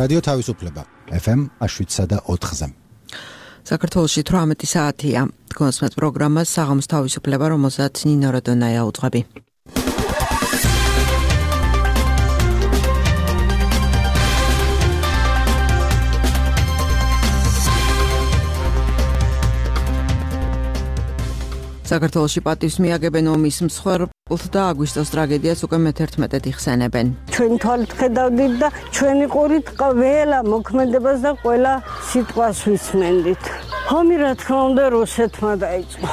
რადიო თავისუფლება FM 7.4-ზე. საქართველოში 18 საათია. გონსმეთ პროგრამას საღამოს თავისუფლება, რომელსაც ნინო როდონაია უძღვები. საქართველოში პატივს მიაგებენ ომის მსხვერპლთ და აგვისტოს ტრაგედიას უკვე მე-11 იხსენებენ. ჩვენ თვალით ხედავდით და ჩვენი ყურით ყველა მოქმედებას და ყველა სიტყვას ვისმენდით. ომი რა თქმა უნდა რუსეთმა დაიწყო.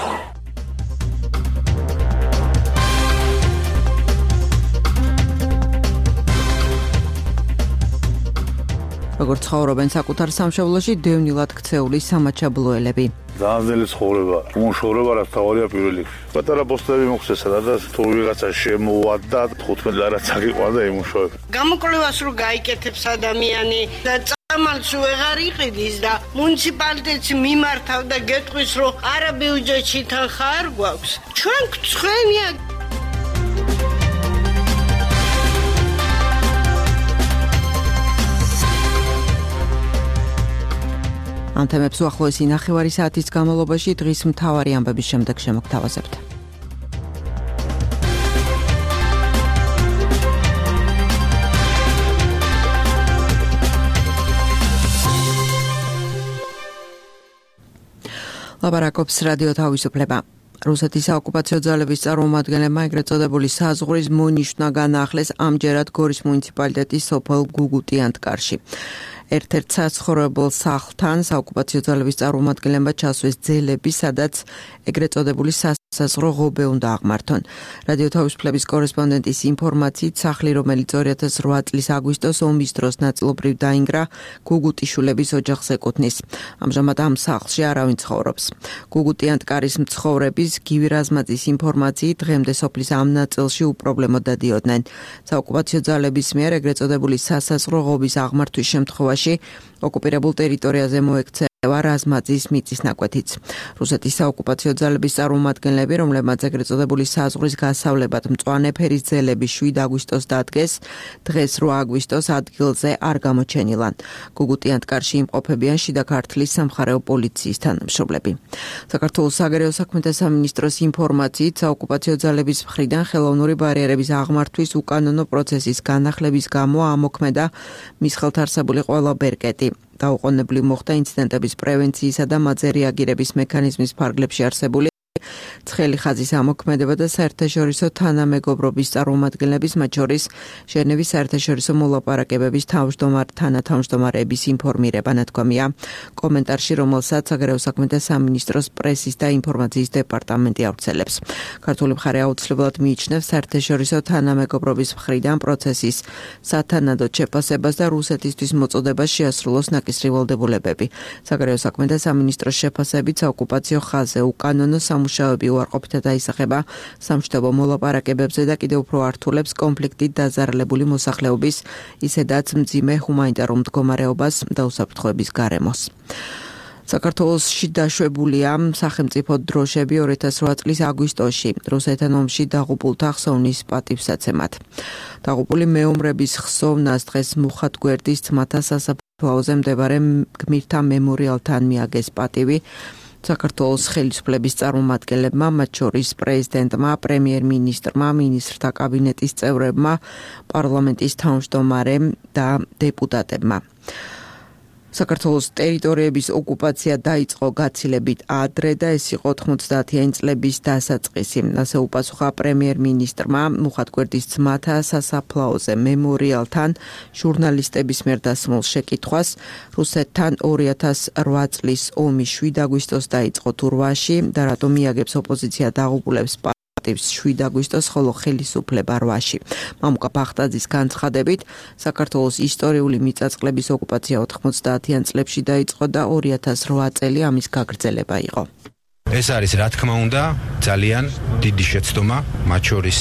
როგორც ცხოვრობენ საკუთარ სამშობლოში დევნილად ქცეული სამაჩაბლოელები. Ძანძელი ცხოვრება, უმუშავრობა რაც თავია პირველ რიგში. პატარა პოსტები მოხდეს სადაც თუ ვიღაცა შემოვადა 15 ლარაც აღიყვანდა იმუშავება. გამოკვლევას რო გაიკეთებს ადამიანი და წამალს ვეღარ იყიდის და მუნიციპალიტეტს მიმართავ და გეტყვის რომ არა ბიუჯეტში თანხა არ გვაქვს. ჩვენ გწვენია ამ თემებს უახლოესი ნახევარი საათის განმავლობაში დღის მთავარი ამბების შემდეგ შემოგთავაზებთ. ლაპარაკობს რადიო თავისუფლება. რუსეთის საოკუპაციო ძალების წარმომადგენლებმა ეგრეთ წოდებული საზღვრის მონიშნა განაახლეს ამჯერად გორის მუნიციპალიტეტის სოფელ გუგუტიანტკარში. ერთ-ერთ საცხოვრებელ სახლთან საოკუპაციო ძალების წარმომადგენლებმა ჩასვეს ძელები, სადაც ეგრეთ წოდებული სასაზღვრო ღობე უნდა აღმართონ. რადიო თავისუფლების კორესპონდენტის ინფორმაციით, სახლი, რომელიც 2008 წლის აგვისტოს ომის დროს ნაწილობრივ დაინგრა, გუგუტიშვილების ოჯახს ეკუთვნის. ამჟამად ამ სახლში არავინ ცხოვრობს. გუგუტიანტკარის მცხოვრების გივი რაზმაძის ინფორმაციით, დღემდე სოფლის ამ ნაწილში უპრობლემოდ დადიოდნენ. საოკუპაციო ძალების მიერ ეგრეთ წოდებული სასაზღვრო ღობის აღმართვის შემთხვევაში ოკუპირებულ ტერიტორიაზე მოექცევა რაზმაძის მიწის ნაკვეთიც. რუსეთის საოკუპაციო ძალების წარმომადგენლები, რომლებმაც ეგრეთ წოდებული საზღვრის გასავლებად მწვანე ფერის ძელები 7 აგვისტოს დადგეს, დღეს 8 აგვისტოს ადგილზე არ გამოჩენილან. გუგუტიანტკარში იმყოფებიან შიდა ქართლის სამხარეო პოლიციის თანამშრომლები. საქართველოს საგარეო საქმეთა სამინისტროს ინფორმაციით, საოკუპაციო ძალების მხრიდან ხელოვნური ბარიერების აღმართვის უკანონო პროცესის განახლების გამო ამოქმედა მის ხელთ არსებული ყველა ბერკეტი. დაუყოვნებლივ მოხდა ინციდენტების პრევენციისა და მათზე რეაგირების მექანიზმის ფარგლებში არსებული ცხელი ხაზის ამოქმედება და საერთაშორისო თანამეგობრობის წარმომადგენლების, მათ შორის ჟენევის საერთაშორისო მოლაპარაკებების თანათავმჯდომარეების ინფორმირება ნათქვამია კომენტარში, რომელსაც საგარეო საქმეთა სამინისტროს პრესის და ინფორმაციის დეპარტამენტი ავრცელებს. ქართული მხარე აუცილებლად მიიჩნევს საერთაშორისო თანამეგობრობის მხრიდან პროცესის სათანადოდ შეფასებას და რუსეთისთვის მოწოდებას შეასრულოს ნაკისრი ვალდებულებები. საგარეო საქმეთა სამინისტროს შეფასებით საოკუპაციო ხაზზე უკანონო სამუშაოები უარყოფითად აისახება სამშვიდობო მოლაპარაკებებზე და კიდევ უფრო ართულებს კონფლიქტით დაზარალებული მოსახლეობის, ისედაც მძიმე ჰუმანიტარულ მდგომარეობას და უსაფრთხოების გარემოს. საქართველოში დაშვებულია სახელმწიფო დროშები 2008 წლის აგვისტოში რუსეთთან ომში დაღუპულთა ხსოვნის პატივსაცემად. დაღუპული მეომრების ხსოვნას დღეს მუხათგვერდის ძმათა სასაფლაოზე მდებარე გმირთა მემორიალთან მიაგეს პატივი. საქართველოს ხელისუფლების წარმომადგენლებმა, მათ შორის პრეზიდენტმა, პრემიერ-მინისტრმა, მინისტრთა კაბინეტის წევრებმა, პარლამენტის თავმჯდომარემ და დეპუტატებმა. საქართველოს ტერიტორიების ოკუპაცია დაიწყო გაცილებით ადრე და ეს იყო 90-იანი წლების დასაწყისი. ასე უპასუხა პრემიერ-მინისტრმა მუხათგვერდის ძმათა სასაფლაოზე მემორიალთან ჟურნალისტების მიერ დასმულ შეკითხვას. რუსეთთან 2008 წლის ომის 7 აგვისტოს დაიწყო თურვაში და რატომ მიაგებს ოპოზიცია დაღუპულებს 7 აგვისტოს, ხოლო ხელისუფლება 8-ში. მამუკა ბახტაძის განცხადებით, საქართველოს ისტორიული მიწაწყლების ოკუპაცია 90-იან წლებში დაიწყო და 2008 წელი ამის გაგრძელება იყო. ეს არის, რა თქმა უნდა, ძალიან დიდი შეცდომა, მათ შორის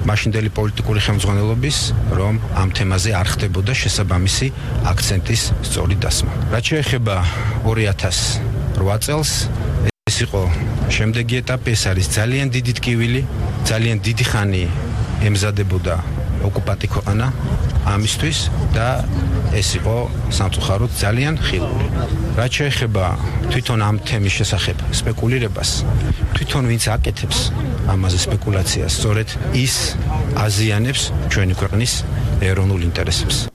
მაშინდელი პოლიტიკური ხელმძღვანელობის, რომ ამ თემაზე არ ხდებოდა შესაბამისი აქცენტის სწორი დასმა. რაც შეეხება 2008 წელს, ეს იყო შემდეგი ეტაპი, ეს არის ძალიან დიდი ტკივილი, ძალიან დიდი ხანი ემზადებოდა ოკუპანტი ქვეყანა ამისთვის და ეს იყო სამწუხაროდ ძალიან ხილული. რაც შეეხება თვითონ ამ თემის შესახებ სპეკულირებას, თვითონ ვინც აკეთებს ამაზე სპეკულაციას, სწორედ ის აზიანებს ჩვენი ქვეყნის ეროვნულ ინტერესებს.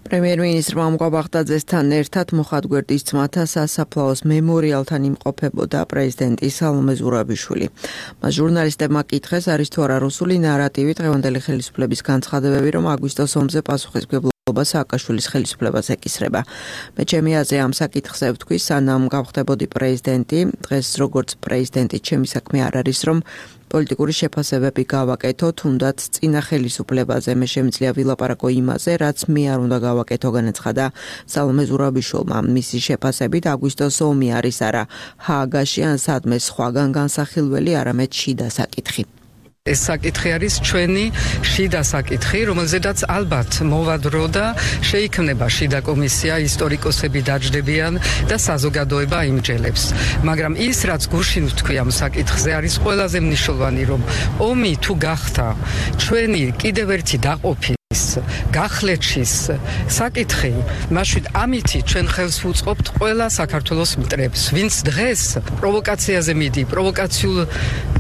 პრემიერ-მინისტრმა მუყაბახტაძესთან ერთად მოხატგვერდის ძმათა სასაფლაოს მემორიალთან იმყოფებოდა პრეზიდენტი სალომე ზურაბიშვილი. მას ჟურნალისტებმა კითხეს, არის თუ არა რუსული ნარატივი დღევანდელი ხელისუფლების განცხადებები, რომ აგვისტოს ომზე პასუხისმგებლობა სააკაშვილის ხელისუფლებას ეკისრება. მე ჩემი აზრი ამ საკითხზე ვთქვი, სანამ გავხდებოდი პრეზიდენტი, დღეს როგორც პრეზიდენტი ჩემი საქმე არ არის, რომ პოლიტიკური შეფასებები გავაკეთო, თუნდაც წინა ხელისუფლებაზე მე შემიძლია ვილაპარაკო იმაზე, რაც მე არ უნდა გავაკეთო, განაცხადა სალომე ზურაბიშვილმა. მისი შეფასებით აგვისტოს ომი არის არა ჰააგაში ან სადმე სხვაგან განსახილველი, არამედ შიდა საკითხი. ეს საკითხი არის ჩვენი შიდა საკითხი, რომელზედაც ალბათ მოვადრო და შეიქმნება შიდა კომისია, ისტორიკოსები დაჯდებიან და საზოგადოება იმჯელებს. მაგრამ ის, რაც გუშინ ვთქვი ამ საკითხზე, არის ყველაზე მნიშვნელოვანი, რომ ომი თუ გახდა ჩვენი კიდევ ერთი დაყოფის გახლეჩის საკითხი, მაშინ ამითი ჩვენ ხელს ვუწყობთ ყველა საქართველოს მტრებს, ვინც დღეს პროვოკაციაზე მიდი, პროვოკაციულ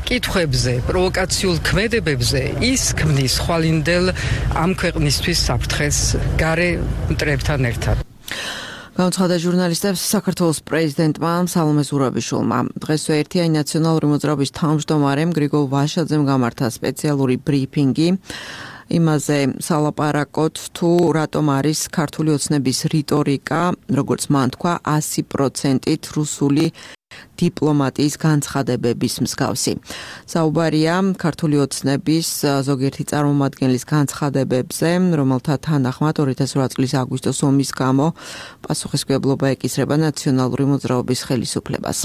კითხვებზე, პროვოკაციულ ქმედებებზე, ის ქმნის ხვალინდელ ამ ქვეყნისთვის საფრთხეს გარე მტრებთან ერთად. განცხადა ჟურნალისტებს საქართველოს პრეზიდენტმა სალომე ზურაბიშვილმა. დღესვე ერთიანი ნაციონალური მოძრაობის თავმჯდომარემ გრიგოლ ვაშაძემ გამართა სპეციალური ბრიფინგი. იმაზე სალაპარაკოთ თუ რატომ არის ქართული ოცნების რიტორიკა, როგორც მან თქვა, 100%-ით რუსული დიპლომატიის განცხადებების მსგავსი. საუბარია ქართული ოცნების ზოგიერთი წარმომადგენლის განცხადებებზე, რომელთა თანახმად 2008 წლის აგვისტოს ომის გამო პასუხისმგებლობა ეკისრება ნაციონალური მოძრაობის ხელისუფლებას.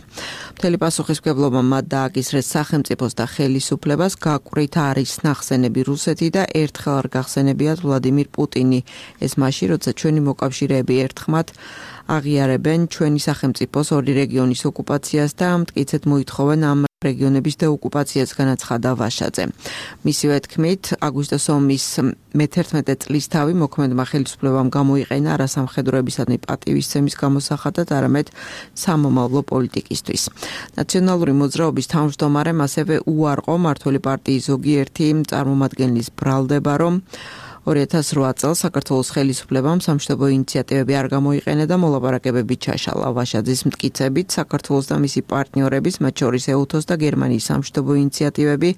მთელი პასუხისმგებლობა მათ დააკისრეს სახელმწიფოს და ხელისუფლებას, გაკვრით არის ნახსენები რუსეთი და ერთხელ არ გახსენებიათ ვლადიმირ პუტინი. ეს მაშინ, როცა ჩვენი მოკავშირეები ერთხმად აღიარებენ ჩვენი სახელმწიფოს ორი რეგიონის ოკუპაციას და მტკიცედ მოითხოვენ ამ რეგიონების დეოკუპაციას, განაცხადა ვაშაძე. მისივე თქმით, აგვისტოს ომის მე-11 წლისთავი მოქმედმა ხელისუფლებამ გამოიყენა არა სამხედროებისადმი პატივისცემის გამოსახატად, არამედ სამომავლო პოლიტიკისთვის. ნაციონალური მოძრაობის თავმჯდომარემ ასევე უარყო მმართველი პარტიის ზოგიერთი წარმომადგენლის ბრალდება, რომ 2008 წელს საქართველოს ხელისუფლებამ სამშვიდობო ინიციატივები არ გამოიყენა და მოლაპარაკებები ჩაშალა. ვაშაძის მტკიცებით, საქართველოს და მისი პარტნიორების, მათ შორის ეუთოს და გერმანიის სამშვიდობო ინიციატივები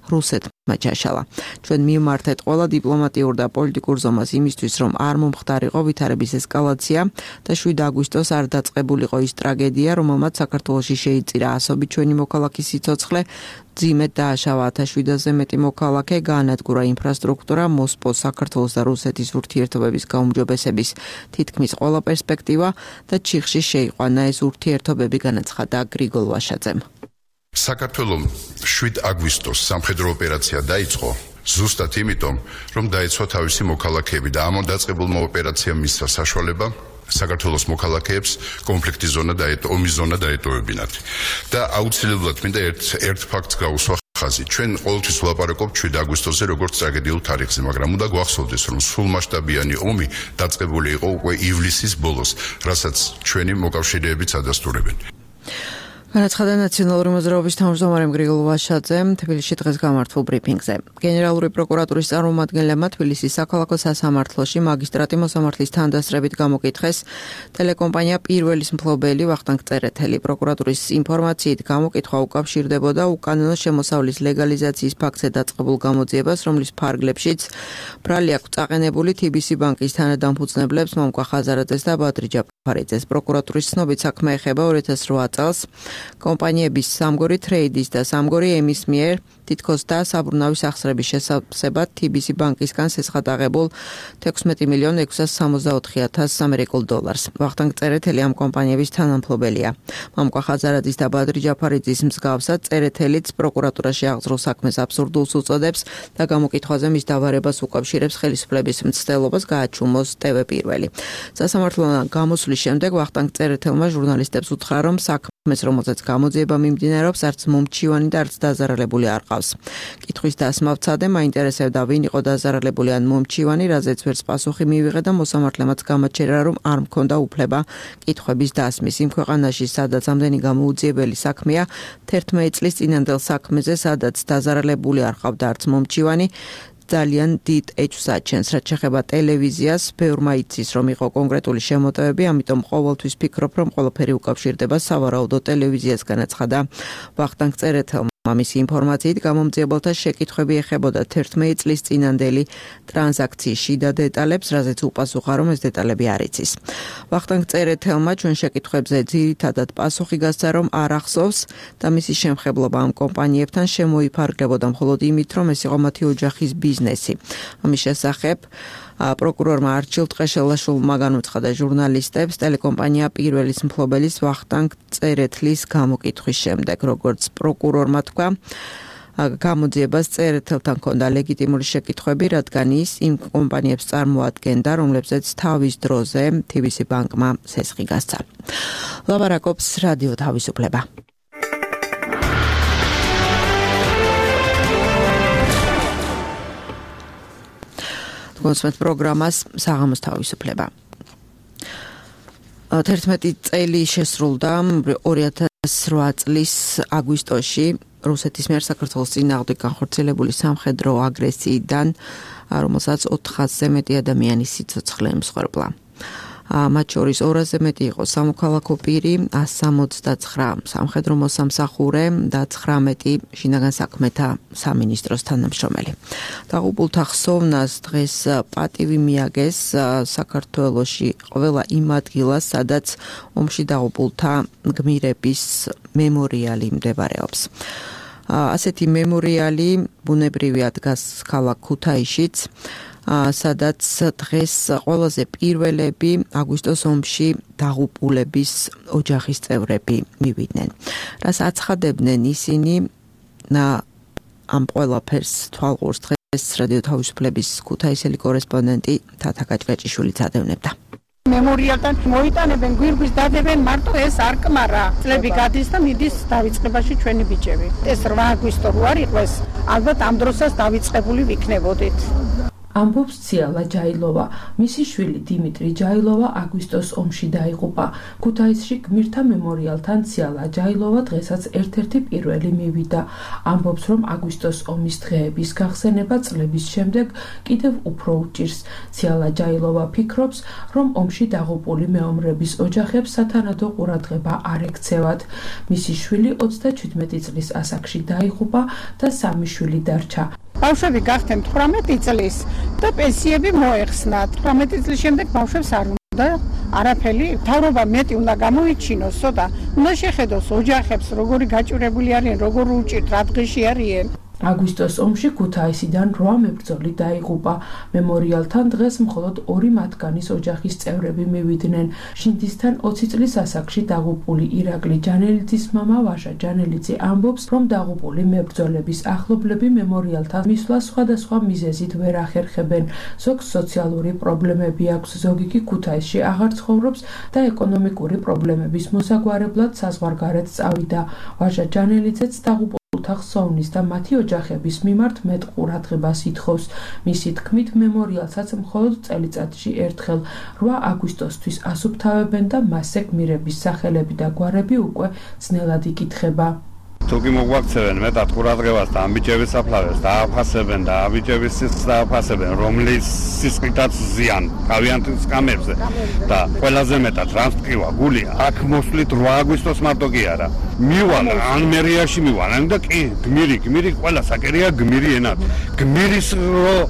რუსეთმა ჩაშალა. ჩვენ მივმართეთ ყველა დიპლომატიურ და პოლიტიკურ ზომას იმისთვის, რომ არ მომხდარიყო ვითარების ესკალაცია და 7 აგვისტოს არ დაწყებულიყო ის ტრაგედია, რომელმაც საქართველოში შეიწირა ასობით ჩვენი მოქალაქის სიცოცხლე, ძიმედ დააშავა 1700-ზე მეტი მოქალაქე, გაანადგურა ინფრასტრუქტურა, მოსპო საქართველოს და რუსეთის ურთიერთობების გაუმჯობესების თითქმის ყველა პერსპექტივა და ჩიხში შეიყვანა ეს ურთიერთობები, განაცხადა გრიგოლ ვაშაძემ. საქართველოს 7 აგვისტოს სამხედრო ოპერაცია დაიწყო ზუსტად იმიტომ, რომ დაეცვა თავისი მოქალაქეები და ამ დაწყებულმა ოპერაციამ მისცა საშუალება საქართველოს მოქალაქეებს კონფლიქტის ზონა და ომის ზონა დაეტოვებინათ. და აუცილებლად მინდა ერთ ფაქტს გავუსვა ხაზი. ჩვენ ყოველთვის ვლაპარაკობთ 7 აგვისტოზე როგორც ტრაგედიულ თარიღზე, მაგრამ უნდა გვახსოვდეს, რომ სრულმასშტაბიანი ომი დაწყებული იყო უკვე ივლისის ბოლოს, რასაც ჩვენი მოკავშირეებიც ადასტურებენ. განაცხადა ნაციონალური მოძრაობის თავმჯდომარემ გრიგოლ ვაშაძემ თბილისში დღეს გამართულ ბრიფინგზე. გენერალური პროკურატურის წარმომადგენლებმა თბილისის საქალაქო სასამართლოში მაგისტრატი მოსამართლის თანდასწრებით გამოკითხეს ტელეკომპანია პირველის მფლობელი ვახტანგ წერეთელი. პროკურატურის ინფორმაციით გამოკითხვა უკავშირდებოდა უკანონო შემოსავლის ლეგალიზაციის ფაქტზე დაწყებულ გამოძიებას, რომლის ფარგლებშიც ბრალი აქვს წაყენებული TBC ბანკის თანადამფუძნებლებს მომკვა ხაზარაძეს და ბადრი ჯაფარიძეს. პროკურატურის ცნობით საქმე ეხება 2008 წელს კომპანიების სამგორი ტრეიდის და სამგორი ემის მიერ თითქოს და საბრუნავის ახსრების შესაბამისად TBC ბანკისგან სესხატაღებულ 16,664,000 ამერიკულ დოლარს. ვახტანგ წერეთელი ამ კომპანიების თანამფლობელია. მომკვა ხაზარაძის და ბადრი ჯაფარიძის მსგავსად წერეთელიც პროკურატურაში აღძრულ საქმეს აბსურდულს უწოდებს და გამოკითხვაზე მის დავარებას უკავშირებს ხელისუფლების მცდელობას გააჩუმოს TV პირველი. სასამართლოდან გამოსვლის შემდეგ ვახტანგ წერეთელმა ჟურნალისტებს უთხრა, რომ საქმე საქმეს, რომელზეც გამოძიება მიმდინარეობს, არც მომჩივანი და არც დაზარალებული არ ყავს. კითხვის დასმა ვცადე, მაინტერესებდა ვინ იყო დაზარალებული ან მომჩივანი, რაზეც ვერც პასუხი მივიღე და მოსამართლემაც გამაჩერა, რომ არ მქონდა უფლება კითხვების დასმის. იმ ქვეყანაში, სადაც ამდენი გამოუძიებელი საქმეა, 11 წლის წინანდელ საქმეზე, სადაც დაზარალებული არ ყავდა არც მომჩივანი, ძალიან დიდ ეჭვს აჩენს, რაც შეეხება ტელევიზიას, ბევრმა იცის, რომ იყო კონკრეტული შემოტევები, ამიტომ ყოველთვის ფიქრობ, რომ ყველაფერი უკავშირდება სავარაუდო ტელევიზიასგან, აცხადა ვახტანგ წერეთელმა. მისი ინფორმაციით გამომძიებელთა შეკითხვები ეხებოდა 11 წლის წინანდელი ტრანზაქციის შიდა დეტალებს, რაზეც უპასუხა, რომ ეს დეტალები არ იცის. ვახტანგ წერეთელმა ჩვენ შეკითხვებზე ძირითადად პასუხი გასცა, რომ არ ახსოვს და მისი შემხებლობა ამ კომპანიებთან შემოიფარგლებოდა მხოლოდ იმით, რომ ეს იყო მათი ოჯახის ბიზნესი. ამის შესახებ პროკურორმა არჩილ ტყეშელაშვილმა განუცხადა ჟურნალისტებს ტელეკომპანია პირველის მფლობელის ვახტანგ წერეთლის გამოკითხვის შემდეგ, როგორც პროკურორმა თქვა, გამოძიებას წერეთელთან ჰქონდა ლეგიტიმური შეკითხვები, რადგან ის იმ კომპანიებს წარმოადგენდა, რომლებზეც თავის დროზე TBC ბანკმა სესხი გასცა. ლაპარაკობს რადიო თავისუფლება. კონსმეთ პროგრამას საღამოს თავისუფლება. 11 წელი შესრულდა 2008 წლის აგვისტოში რუსეთის მიერ საქართველოს წინააღმდეგ განხორციელებული სამხედრო აგრესიიდან, რომელსაც 400-ზე მეტი ადამიანი სიცოცხლე ემსხვერპლა. მათ შორის 200-ზე მეტი იყო სამოქალაქო პირი, 169 სამხედრო მოსამსახურე და 19 შინაგან საქმეთა სამინისტროს თანამშრომელი. დაღუპულთა ხსოვნას დღეს პატივი მიაგეს საქართველოში ყველა იმ ადგილას, სადაც ომში დაღუპულთა გმირების მემორიალი მდებარეობს. ასეთი მემორიალი ბუნებრივია დგას ქალაქ ქუთაისშიც, სადაც დღეს ყველაზე პირველები აგვისტოს ომში დაღუპულების ოჯახის წევრები მივიდნენ. რას აცხადებდნენ ისინი, ამ ყველაფერს თვალყურს დღეს რადიო თავისუფლების ქუთაისელი კორესპონდენტი თათა გაჭგაჭიშვილი წადევნებდა. მემორიალთან მოიტანებენ, გვირგვის დადებენ, მარტო ეს არ კმარა. წლები გადის და მიდის დავიწყებაში ჩვენი ბიჭები. ეს 8 აგვისტო რო არ იყოს, ალბათ ამ დროსაც დავიწყებული ვიქნებოდით. ამბობს ციალა ჯაილოვა. მისი შვილი დიმიტრი ჯაილოვა აგვისტოს ომში დაიღუპა. ქუთაისში გმირთა მემორიალთან ციალა ჯაილოვა დღესაც ერთ-ერთი პირველი მივიდა. ამბობს, რომ აგვისტოს ომის დღეების გახსენება წლების შემდეგ კიდევ უფრო უჭირს. ციალა ჯაილოვა ფიქრობს, რომ ომში დაღუპული მეომრების ოჯახებს სათანადო ყურადღება არ ექცევათ. მისი შვილი 37 წლის ასაკში დაიღუპა და 3 შვილი დარჩა. ბავშვები გახდნენ 18 წლის და პენსიები მოეხსნათ. 18 წლის შემდეგ ბავშვებს არ უნდა არაფერი, თავრობა მეტი უნდა გამოიჩინოსო და უნდა შეხედოს ოჯახებს, როგორი გაჭირებული არიან, როგორ უჭირთ, რა დღეში არიან. აგვისტოს ომში ქუთაისიდან 8 მებრძოლი დაიღუპა. მემორიალთან დღეს მხოლოდ 2 მათგანის ოჯახის წევრები მივიდნენ. შინდისთან 20 წლის ასაკში დაღუპული ირაკლი ჯანელიძის მამა ვაჟა ჯანელიძე ამბობს, რომ დაღუპული მებრძოლების ახლობლები მემორიალთან მისვლა სხვადასხვა მიზეზით ვერ ახერხებენ. ზოგს სოციალური პრობლემები აქვს, ზოგი კი ქუთაისში აღარ ცხოვრობს და ეკონომიკური პრობლემების მოსაგვარებლად საზღვარგარეთ წავიდა. ვაჟა ჯანელიძეც დაღუპულ ხსოვნის და მათი ოჯახების მიმართ მეტ ყურადღებას ითხოვს. მისი თქმით, მემორიალსაც მხოლოდ წელიწადში ერთხელ 8 აგვისტოსთვის ასუფთავებენ და მასზე გმირების სახელები და გვარები უკვე ძნელად იკითხება. თუკი მოგვაქცევენ მეტად ყურადღებას და ამბიჭების საფლავებს დააფასებენ და ამბიჭების სისხლს დააფასებენ, რომლის სისხლითაც ზიან თავიანთ სკამებზე და ყველაზე მეტად რამს ტკივა გული აქ მოსვლით 8 აგვისტოს მარტო კი არა. მივალ ან მერიაში მივალ ან და კი გმირი ყველა საკერია გმირი ენად. გმირის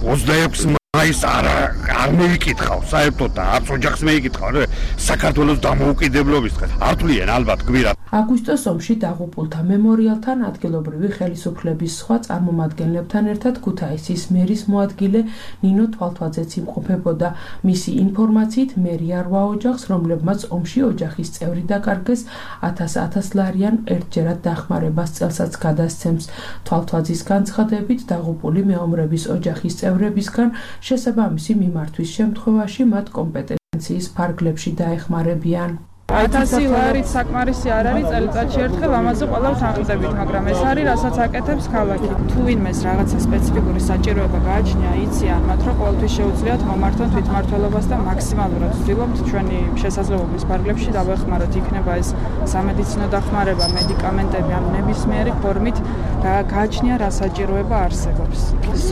26 მაის არ მეიკითხავ საერთოდ და არც ოჯახს მეიკითხავ საქართველოს დამოუკიდებლობის დღეს. არ თვლიან ალბათ გმირად. აგვისტოს ომში დაღუპულთა მემორიალთან ადგილობრივი ხელისუფლების სხვა წარმომადგენლებთან ერთად ქუთაისის მერის მოადგილე ნინო თვალთვაძეც იმყოფებოდა. მისი ინფორმაციით მერია 8 ოჯახს, რომლებმაც ომში ოჯახის წევრი დაკარგეს, 1000 ლარიან ერთჯერად დახმარებას წელსაც გადასცემს. თვალთვაძის განცხადებით, დაღუპული მეომრების ოჯახის წევრებისგან შესაბამისი მიმართვის შემთხვევაში მათ კომპეტენციის ფარგლებში დაეხმარებიან. 1000 ლარი საკმარისი არ არის წელიწადში ერთხელ ამაზე ყველა თანხმდებით, მაგრამ ეს არის რასაც აკეთებს ქალაქი. თუ ვინმეს რაღაცა სპეციფიკური საჭიროება გააჩნია, იციან მათ, რომ ყოველთვის შეუძლიათ მომართონ თვითმმართველობას და მაქსიმალურად ვცდილობთ ჩვენი შესაძლებლობის ფარგლებში დავეხმაროთ, იქნება ეს სამედიცინო დახმარება, მედიკამენტები ან ნებისმიერი ფორმით გააჩნია რა საჭიროება არსებობს.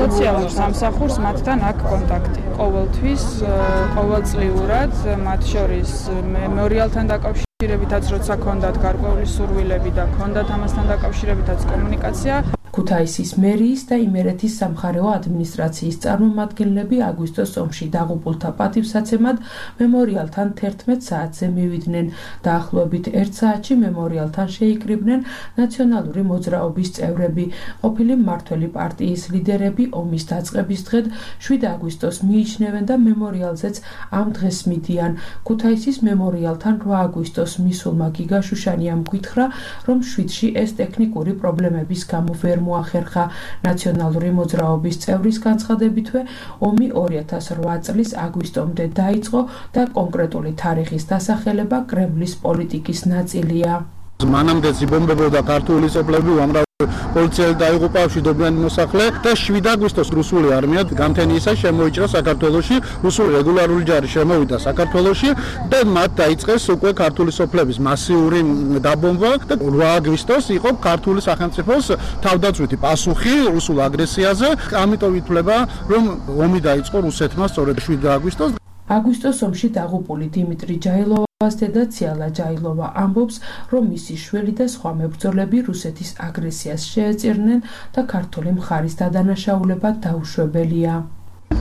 სოციალურ სამსახურს მათთან აქვს კონტაქტი. ყოველთვის, ყოველწლიურად, მათ შორის მემორიალთან დაკავშირებითაც როცა ქონდათ გარკვეული სურვილები და ქონდათ ამასთან დაკავშირებითაც კომუნიკაცია. ქუთაისის მერიის და იმერეთის სამხარეო ადმინისტრაციის წარმომადგენლები აგვისტოს ომში დაღუპულთა პატივსაცემად მემორიალთან 11 საათზე მივიდნენ. დაახლოებით 1 საათში მემორიალთან შეიკრიბნენ ნაციონალური მოძრაობის წევრები, ყოფილი მმართველი პარტიის ლიდერები. ომის დაწყების დღედ 7 აგვისტოს მიიჩნევენ და მემორიალზეც ამ დღეს მიდიან. ქუთაისის მემორიალთან 8 აგვისტოს მისულმა გიგა შუშანიამ გითხრა, რომ 7-ში ეს ტექნიკური პრობლემების გამო ვერ მოახერხა. ნაციონალური მოძრაობის წევრის განცხადებითვე ომი 2008 წლის აგვისტომდე დაიწყო და კონკრეტული თარიღის დასახელება კრემლის პოლიტიკის ნაწილია. მანამდე ზიბომბებოდა ქართული სოფლები, უამრავი პოლიციელი დაიღუპა, მშვიდობიანი მოსახლე და 7 აგვისტოს რუსული არმია გამთენიისა შემოიჭრა საქართველოში, რუსული რეგულარული ჯარი შემოვიდა საქართველოში და მათ დაიწყეს უკვე ქართული სოფლების მასიური დაბომბვა და 8 აგვისტოს იყო ქართული სახელმწიფოს თავდაცვითი პასუხი რუსულ აგრესიაზე. ამიტომ ითვლება, რომ ომი დაიწყო რუსეთმა სწორედ 7 აგვისტოს. აგვისტოს ომში დაღუპული დიმიტრი ჯაილოვას დედა ციალა ჯაილოვა ამბობს, რომ მისი შვილი და სხვა მებრძოლები რუსეთის აგრესიას შეეწირნენ და ქართული მხარის დადანაშაულება დაუშვებელია.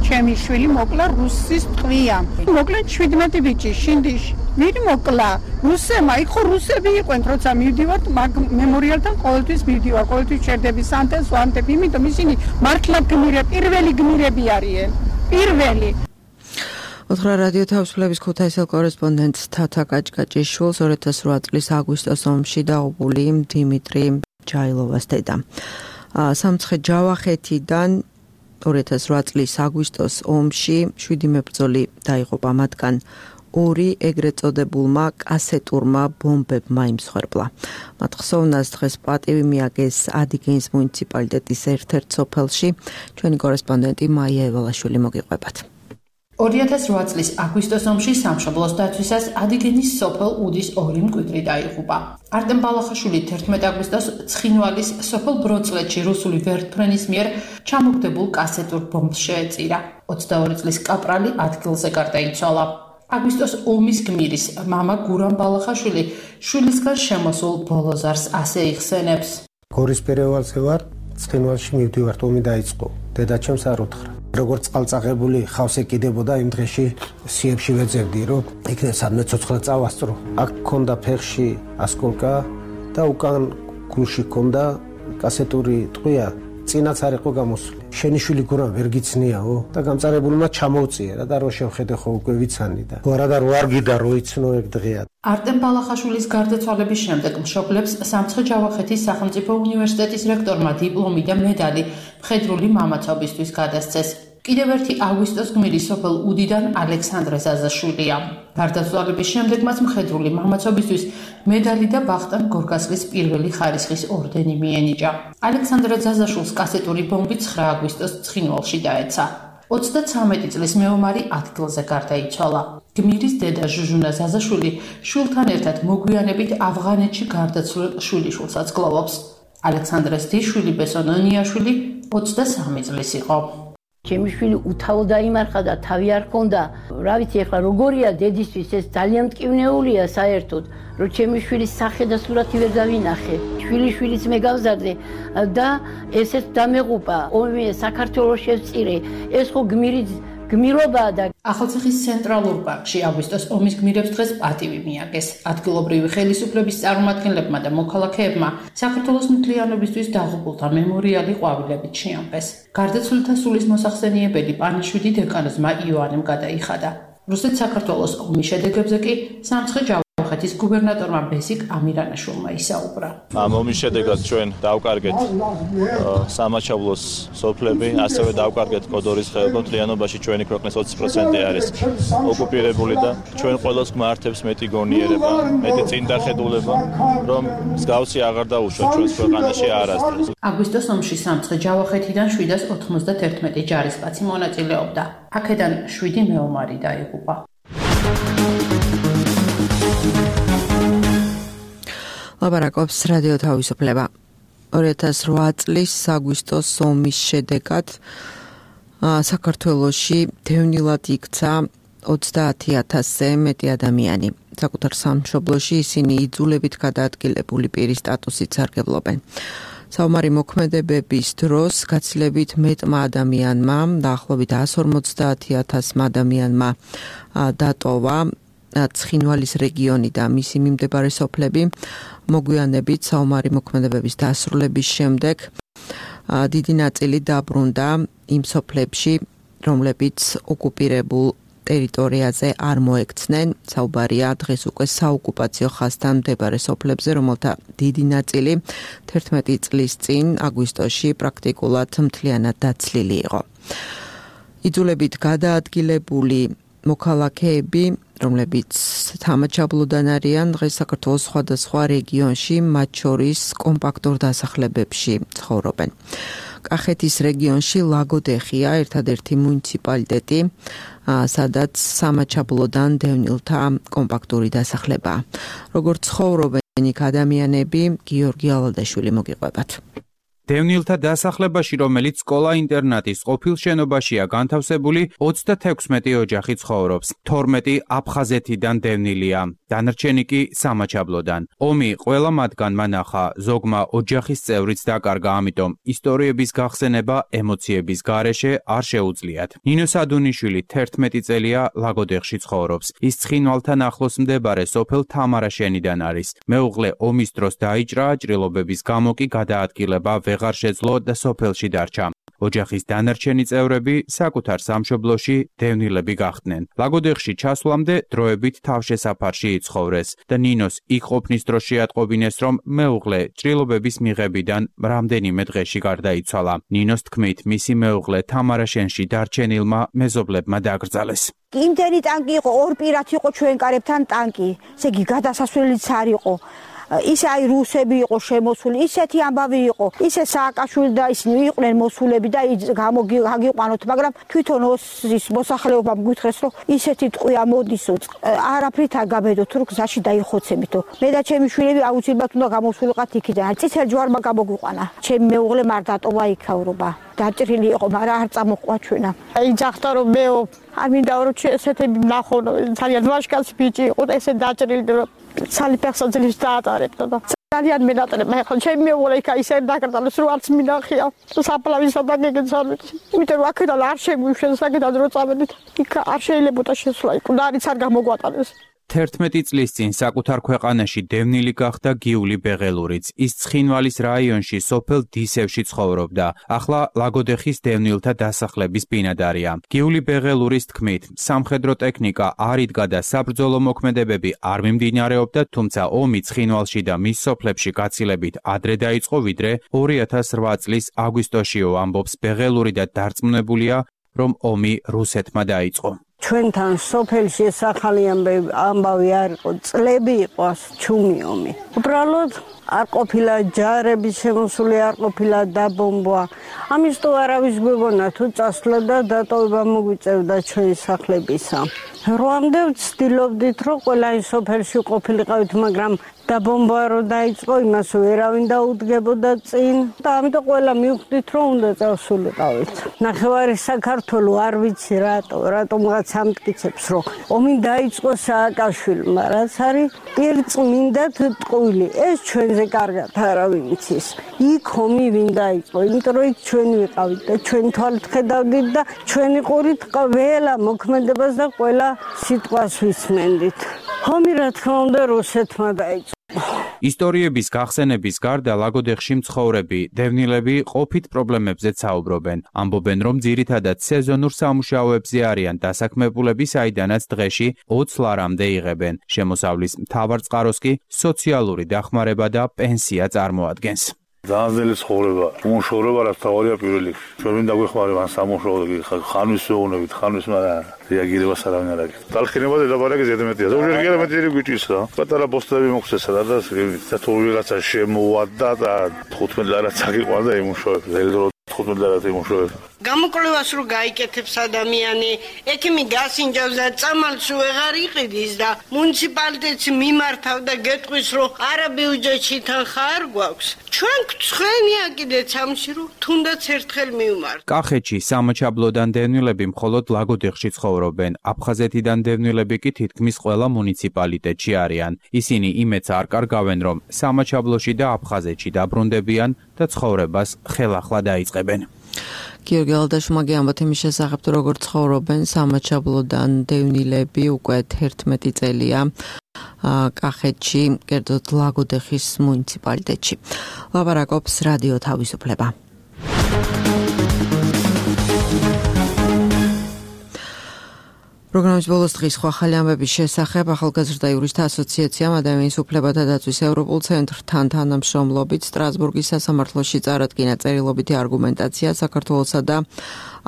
ჩემი შვილი მოკლა რუსის ტყვია. მოკლა 17 ბიჭი შინდიში. ვინ მოკლა? რუსებმა, იქ რუსები იყვნენ, როცა მივდივართ მემორიალთან ყოველთვის მივდივარ, ყოველთვის ჩერდები სანტეს ვანტები, იმიტომ ისინი მართლა პირველი გმირები არიან. პირველი ოთხრა რადიო თავისუფლების ქუთაისელ კორესპონდენტ თათა კაჭკაჭიშვილს 2008 წლის აგვისტოს ომში დაღუპული დიმიტრი ჯაილოვას დედა. სამცხე ჯავახეთიდან 2008 წლის აგვისტოს ომში 7 მებრძოლი დაიღუპა, მათგან 2 ეგრეთ წოდებულმა კასეტურმა ბომბებმა იმსხვერპლა. მათ ხსოვნას დღეს პატივი მიაგეს ადიგენის მუნიციპალიტეტის ერთ-ერთ სოფელში. ჩვენი კორესპონდენტი მაია ევალაშვილი მოგიყვებათ. 2008 წლის აგვისტოს ომში სამშობლოს დაცვისას ადიგენის სოფელ უდის 2 მკვიდრი დაიღუპა. არტემ ბალახაშვილი 11 აგვისტოს ცხინვალის სოფელ ბროწლეთში რუსული ვერტმფრენის მიერ ჩამოგდებულ კასეტურ ბომბს შეეწირა. 22 წლის კაპრალი ადგილზე გარდაიცვალა. აგვისტოს ომის გმირის მამა გურამ ბალახაშვილი შვილისგან შემოსულ ბოლოზარს ასე იხსენებს. გორის პერევალზე ვარ, ცხინვალში მივდივართ, ომი დაიწყო. დედა ჩემს არ უთხრა. როგორც წყალწაღებული ხავს ეკიდებოდა იმ დღეში სიებში ვეძებდი, რომ იქნებ სადმე ცოცხლა წავასწრო. აქ ქონდა ფეხში ასკოლკა და უკან გულში ქონდა კასეტური ტყვია, წინაც არ იყო გამოსული. შენი შვილი გურამ ვერ გიცნიაო და გამწარებულმა ჩამოვწიერა და რო შევხედე ხო უკვე ვიცანი და რა და რო არ გიდა რო იცნო ეგ დღეა. არტემ ბალახაშვილის გარდაცვალების შემდეგ მშობლებს სამცხე ჯავახეთის სახელმწიფო უნივერსიტეტის რექტორმა დიპლომი და მედალი მხედრული მამაცობისთვის გადასცეს. კიდევ ერთი აგვისტოს გმირი სოფელ უდიდან ალექსანდრე ზაზაშვილია. გარდაცვალების შემდეგ მას მხედრული მამაცობისთვის მედალი და ვახტანგ გორგასლის პირველი ხარისხის ორდენი მიენიჭა. ალექსანდრე ზაზაშვილს კასეტური ბომბი 9 აგვისტოს ცხინვალში დაეცა. 33 წლის მეომარი ადგილზე გარდაიცვალა. გმირის დედა ჟუჟუნა ზაზაშვილი შვილთან ერთად მოგვიანებით ავღანეთში გარდაცვლილ შვილიშვილსაც გლოვობს. ალექსანდრეს დიშვილი ბესონონიაშვილი 23 წლის იყო. ჩემი შვილი უთავო დაიმარხა და თავი არ ჰქონდა. რა ვიცი ახლა როგორია დედისთვის, ეს ძალიან მტკივნეულია საერთოდ, რომ ჩემი შვილის სახე და სურათი ვერ დავინახე. შვილიშვილიც მე გავზარდე და ესეც დამეღუპა. ომი საქართველოს შევწირე. ეს ხო გმირობაა და ახალციხის ცენტრალურ პარკში აგვისტოს ომის გმირებს დღეს პატივი მიაგეს. ადგილობრივი ხელისუფლების წარმომადგენლებმა და მოქალაქეებმა საქართველოს მთლიანობისთვის დაღუპულთა მემორიალი ყვავილებით შეამბეს. გარდაცვლილთა სულის მოსახსენიებელი პანიშვილი დეკანოზმა იოანემ გადაიხადა. რუსეთ-საქართველოს ომის შედეგებზე კი სამცხე ჯავახეთის გუბერნატორმა ბესიკ ამირანაშვილმა ისაუბრა. ამ ომის შედეგად ჩვენ დავკარგეთ სამაჩაბლოს სოფლები, ასევე დავკარგეთ კოდორის ხეობა, მთლიანობაში ჩვენი ქვეყნის 20% არის ოკუპირებული და ჩვენ ყველას გმართებს მეტი გონიერება, მეტი წინდახედულება, რომ მსგავსი აღარ დაუშვათ ჩვენს ქვეყანაში არასდროს. აგვისტოს ომში სამცხე ჯავახეთიდან 791 ჯარისკაცი მონაწილეობდა. აქედან 7 მეომარი დაიღუპა. ლაპარაკობს რადიო თავისუფლება. 2008 წლის აგვისტოს ომის შედეგად საქართველოში დევნილად იქცა 30,000-ზე მეტი ადამიანი. საკუთარ სამშობლოში ისინი იძულებით გადაადგილებული პირის სტატუსით სარგებლობენ. საომარი მოქმედებების დროს გაცილებით მეტმა ადამიანმა, დაახლოებით 150,000 ადამიანმა დატოვა ცხინვალის რეგიონი და მისი მიმდებარე სოფლები. მოგვიანებით საომარი მოქმედებების დასრულების შემდეგ დიდი ნაწილი დაბრუნდა იმ სოფლებში, რომლებიც ოკუპირებულ ტერიტორიაზე არ მოექცნენ. საუბარია დღეს უკვე საოკუპაციო ხაზთან მდებარე სოფლებზე, რომელთა დიდი ნაწილი 11 წლის წინ აგვისტოში პრაქტიკულად მთლიანად დაცლილი იყო. იძულებით გადაადგილებული მოქალაქეები, რომლებიც თამაჩაბლოდან არიან, დღეს საქართველოს სხვადასხვა რეგიონში, მათ შორის კომპაქტურ დასახლებებში ცხოვრობენ. კახეთის რეგიონში ლაგოდეხია ერთადერთი მუნიციპალიტეტი, სადაც სამაჩაბლოდან დევნილთა კომპაქტური დასახლებაა. როგორც ცხოვრობენ იქ ადამიანები, გიორგი ალადაშვილი მოგიყვებათ. დევნილთა დასახლებაში, რომელიც სკოლა-ინტერნატის ყოფილ შენობაშია განთავსებული, 36 ოჯახი ცხოვრობს. 12 აფხაზეთიდან დევნილია, დანარჩენი კი სამაჩაბლოდან. ომი ყველა მათგანმა ნახა, ზოგმა ოჯახის წევრიც დაკარგა, ამიტომ ისტორიების გახსენება ემოციების გარეშე არ შეუძლიათ. ნინო სადუნიშვილი 11 წელია ლაგოდეხში ცხოვრობს. ის ცხინვალთან ახლოს მდებარე სოფელ თამარაშენიდან არის. მეუღლე ომის დროს დაიჭრა, ჭრილობების გამო კი გადაადგილება ვეღარ შეძლო და სოფელში დარჩა. ოჯახის დანარჩენი წევრები საკუთარ სამშობლოში დევნილები გახდნენ. ლაგოდეხში ჩასვლამდე დროებით თავშესაფარში იცხოვრეს და ნინოს იქ ყოფნის დროს შეატყობინეს, რომ მეუღლე ჭრილობების მიღებიდან რამდენიმე დღეში გარდაიცვალა. ნინოს თქმით, მისი მეუღლე თამარაშენში დარჩენილმა მეზობლებმა დაკრძალეს. იმდენი ტანკი იყო, ორ პირად იყო ჩვენ კარებთან ტანკი, ესე იგი გადასასვლელიც არ იყო. ისე აი რუსები იყო შემოსული, ისეთი ამბავი იყო, ისე სააკაშვილი და ისინი იყვნენ მოსულები და გაგიყვანოთ, მაგრამ თვითონ ოსის მოსახლეობამ გითხრეს, რომ ისეთი ტყვი ამოდის, არაფრით არ გაბედოთ, რომ გზაში დაიხოცებით. მე და ჩემი შვილები აუცილებლად უნდა გამოსულიყავთ იქიდან. წითელ ჯვარმა გამოგვიყვანა. ჩემი მეუღლე არ დატოვა იქაურობა. დაჭრილი იყო, მაგრამ არ წამოყვა ჩვენა. აი ძახდა რომ მეო, არ მინდა რომ ესეთები ვნახონო, ძალიან ვაჟკაცი ბიჭი იყო, ესე დაჭრილი რომ სალიფეხსა ძლივს დაატარებდა და ძალიან მენატრება. ახლა ჩემი მეუღლე იქა ისე დაკრძალეს, რომ არც მინახია. საფლავისა და გეგეცალით. იმიტომ რომ აქედან არ შემოიშვეს, აქედან რო წავედით, იქ არ შეიძლებოდა შესვლა. კუდარიც არ გამოგვატანეს. 11 წლის წინ საკუთარ ქვეყანაში დევნილი გახდა გიული ბეღელურიც. ის ცხინვალის რაიონში სოფელ დისევში ცხოვრობდა. ახლა ლაგოდეხის დევნილთა დასახლების ბინადარია. გიული ბეღელურის თქმით, სამხედრო ტექნიკა არ იდგა და საბრძოლო მოქმედებები არ მიმდინარეობდა, თუმცა ომი ცხინვალში და მის სოფლებში გაცილებით ადრე დაიწყო, ვიდრე 2008 წლის აგვისტოშიო, ამბობს ბეღელური და დარწმუნებულია, რომ ომი რუსეთმა დაიწყო. ჩვენთან სოფელში ეს ახალი ამბავი არ იყო, წლები იყო ჩუმი ომი. უბრალოდ არ ყოფილა ჯარები შემოსული, არ ყოფილა დაბომბვა. ამის თუ არავის გვეგონა თუ წასვლა და დატოვება მოგვიწევდა ჩვენი სახლებისა. როამდე ვცდილობდით, რომ ყველა ის სოფელში ყოფილიყავით, მაგრამ დაბომბვა რო დაიწყო, იმას ვერავინ დაუდგებოდა წინ და ამიტომ ყველა მივხვდით, რომ უნდა წავსულიყავით. ნახევარი საქართველო არ ვიცი რატომღაც ამტკიცებს, რომ ომი დაიწყო სააკაშვილმა, რაც არის პირწმინდა ტყვილი. ეს ჩვენზე კარგად არავინ იცის. იქ ომი ვინ დაიწყო, იმიტომ რომ იქ ჩვენ ვიყავით და ჩვენ თვალით ხედავდით და ჩვენი ყურით ყველა მოქმედებას და ყველა სიტყვას ვისმენდით. ომი რა თქმა უნდა რუსეთმა დაიწყო. ისტორიების გახსენების გარდა ლაგოდეხში მცხოვრები დევნილები ყოფით პრობლემებზეც საუბრობენ. ამბობენ, რომ ძირითადად სეზონურ სამუშაოებზე არიან დასაქმებულები, საიდანაც დღეში 20 ლარამდე იღებენ. შემოსავლის მთავარ წყაროს კი სოციალური დახმარება და პენსია წარმოადგენს. Ძანძელი ცხოვრება, უმუშავრობა რაც თავია პირველ რიგში. ჩვენ მინდა გვეხმარება ან სამუშაოდ ხანვის ვეუბნებით, ხანვის რეაგირებას არავინ არ აქვს. დალხინება დედაბარაკი ზედმეტია. ზოგჯერ გერმეტიერი გვიჭირსა. პატარა პოსტები მოხსესა და თუ ვიღაცა შემოვადა და 15 ლარაც აღიყვანდა იმუშავებს. ზედრო 15 ლარაც იმუშავებს. გამოკვლევას რო გაიკეთებს ადამიანი, ექიმი გასინჯავს და წამალს ვეღარ იყიდის და მუნიციპალიტეტს მიმართავ და გეტყვის რომ არა ბიუჯეტში თანხა არ გვაქვს. ჩვენ გწვენია კიდეც ამში რომ თუნდაც ერთხელ მივმართ. კახეთში სამაჩაბლოდან დევნილები მხოლოდ ლაგოდეხში ცხოვრობენ. აფხაზეთიდან დევნილები კი თითქმის ყველა მუნიციპალიტეტში არიან. ისინი იმედს არ კარგავენ, რომ სამაჩაბლოში და აფხაზეთში დაბრუნდებიან და ცხოვრებას ხელახლა დაიწყებენ. გიორგი ალდაშმაგი ამბობთ იმის შესახებ, როგორ ცხოვრობენ სამაჩაბლოდან დევნილები უკვე 11 წელია კახეთში, კერძოდ ლაგოდეხის მუნიციპალიტეტში. ლაპარაკობს რადიო თავისუფლება. პროგრამის ბოლოს დღის ახალი ამბების შესახებ ახალგაზრდა იურისტთა ასოციაციამ ადამიანის უფლებათა დაცვის ევროპულ ცენტრთან თანამშრომლობით სტრასბურგის სასამართლოში წარადგინა წერილობითი არგუმენტაცია საქართველოსა და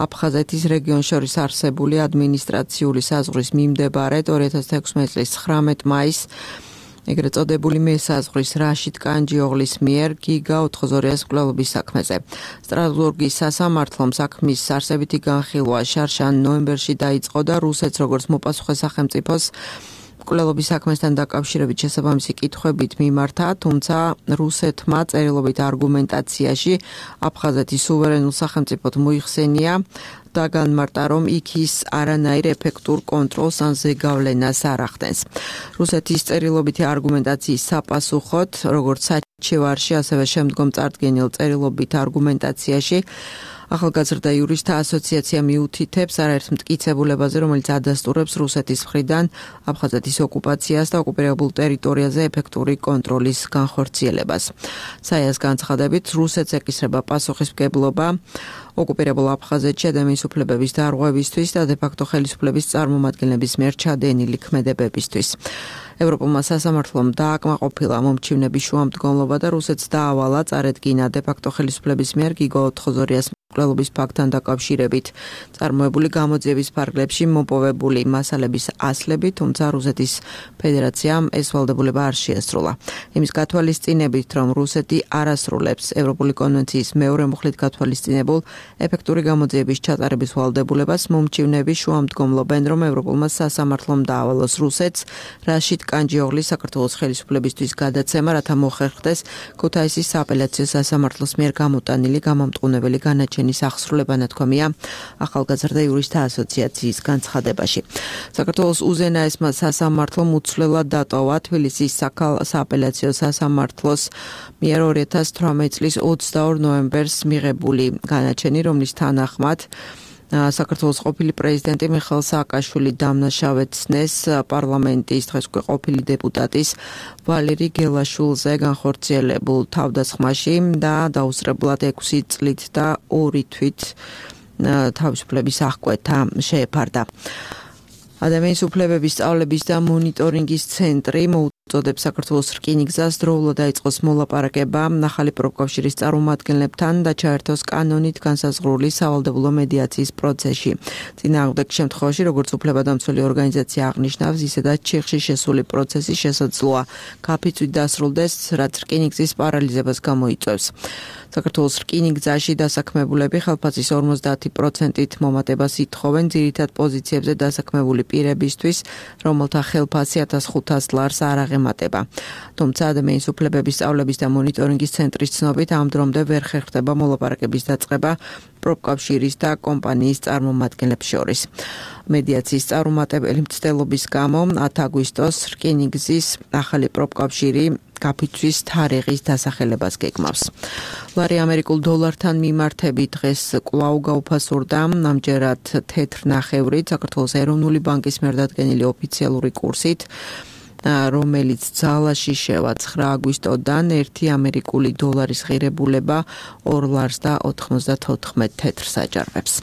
აფხაზეთის რეგიონს შორის არსებული ადმინისტრაციული საზღვრის მიმდებარედ 2016 წლის 19 მაისს ეგრეთ წოდებული მესაზღვრის რაშიდ კანჯიოღლის მიერ გიგა 420-ის მკვლელობის საქმეზე. სტრასბურგის სასამართლომ საქმის არსებითი განხილვა შარშან ნოემბერში დაიწყო და რუსეთს როგორც მოპასუხე სახელმწიფოს მკვლელობის საქმესთან დაკავშირებით შესაბამისი კითხვებით მიმართა, თუმცა რუსეთმა წერილობით არგუმენტაციაში აფხაზეთის სუვერენულ სახელმწიფოდ მოიხსენია და განმარტა, რომ იქ ის არანაირ ეფექტურ კონტროლს ან ზეგავლენას არ ახდენს. რუსეთის წერილობითი არგუმენტაციის საპასუხოდ, როგორც საჩივარში, ასევე შემდგომ წარდგენილ წერილობით არგუმენტაციაში ახალგაზრდა იურისტთა ასოციაცია მიუთითებს არაერთ მტკიცებულებაზე, რომელიც ადასტურებს რუსეთის მხრიდან აფხაზეთის ოკუპაციას და ოკუპირებულ ტერიტორიაზე ეფექტური კონტროლის განხორციელებას. საიას განცხადებით, რუსეთს ეკისრება პასუხისმგებლობა ოკუპირებულ აფხაზეთში ადამიანის უფლებების დარღვევისთვის და დე-ფაქტო ხელისუფლების წარმომადგენლების მიერ ჩადენილი ქმედებებისთვის. ევროპულმა სასამართლომ დააკმაყოფილა მომჩივნების შუამდგომლობა და რუსეთს დაავალა წარედგინა დე-ფაქტო ხელისუფლების მიერ გიგო 420-ის მკვლელობის ფაქტთან დაკავშირებით წარმოებული გამოძიების ფარგლებში მოპოვებული მასალების ასლები, თუმცა რუსეთის ფედერაციამ ეს ვალდებულება არ შეასრულა. იმის გათვალისწინებით, რომ რუსეთი არ ასრულებს ევროპული კონვენციის მეორე მუხლით გათვალისწინებულ ეფექტური გამოძიების ჩატარების ვალდებულებას, მომჩივნების შუამდგომლობენ, რომ ევროპულმა სასამართლომ დაავალოს რუსეთს რაშიდ კანჯიოღლის საქართველოს ხელისუფლებისთვის გადაცემა, რათა მოხერხდეს ქუთაისის სააპელაციო სასამართლოს მიერ გამოტანილი გამამტყუნებელი განაჩენის აღსრულება, ნათქვამია ახალგაზრდა იურისტთა ასოციაციის განცხადებაში. საქართველოს უზენაესმა სასამართლომ უცვლელად დატოვა თბილისის სააპელაციო სასამართლოს მიერ 2018 წლის 22 ნოემბერს მიღებული განაჩენი, რომლის თანახმად საქართველოს ყოფილი პრეზიდენტი მიხეილ სააკაშვილი დამნაშავეცნეს პარლამენტის დღეს უკვე ყოფილი დეპუტატის ვალერი გელაშვილზე განხორციელებულ თავდასხმაში და დაუსწრებლად 6 წლით და 2 თვით თავისუფლების აღკვეთა შეეფარდა. ადამიანის უფლებების სწავლების და მონიტორინგის ცენტრი მოუწოდებს საქართველოს რკინიგზას დროულად დაიწყოს მოლაპარაკება ახალი პროფკავშირის წარმომადგენლებთან და ჩაერთოს კანონით განსაზღვრული სავალდებულო მედიაციის პროცესში. წინააღმდეგ შემთხვევაში, როგორც უფლებადამცველი ორგანიზაცია აღნიშნავს, ისედაც ჩიხში შესული პროცესი შესაძლოა გაფიცვით დასრულდეს, რაც რკინიგზის პარალიზებას გამოიწვევს. საქართველოს რკინიგზაში დასაქმებულები ხელფასის 50%-ით მომატებას ითხოვენ ძირითად პოზიციებზე დასაქმებული პირებისთვის, რომელთა ხელფასი 1500 ლარს არ აღემატება. თუმცა ადამიანის უფლებების სწავლების და მონიტორინგის ცენტრის ცნობით ამ დრომდე ვერ ხერხდება მოლაპარაკების დაწყება პროფკავშირის და კომპანიის წარმომადგენლებს შორის. მედიაციის წარუმატებელი მცდელობის გამო 10 აგვისტოს რკინიგზის ახალი პროფკავშირი გაფიცვის თარიღის დასახელებას გეგმავს. ლარი ამერიკულ დოლართან მიმართებით დღეს კვლავ გაუფასურდა, ამჯერად თეთრ ნახევრით საქართველოს ეროვნული ბანკის მიერ დადგენილი ოფიციალური კურსით რომელიც ძალაში შევა 9 აგვისტოდან 1 ამერიკული დოლარის ღირებულება 2 ლარს და 94 თეთრ საჯარებს.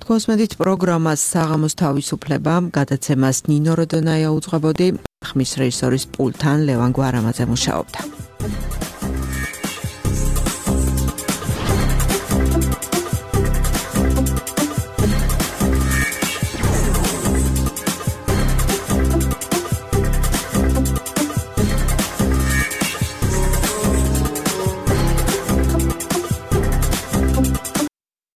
თქვენს მედით პროგრამას საღამოს თავისუფლება გადაცემას ნინო როდონაია უძღვებოდი, ხმის რეჟისორის პულტთან ლევან გვარამაძე მუშაობდა.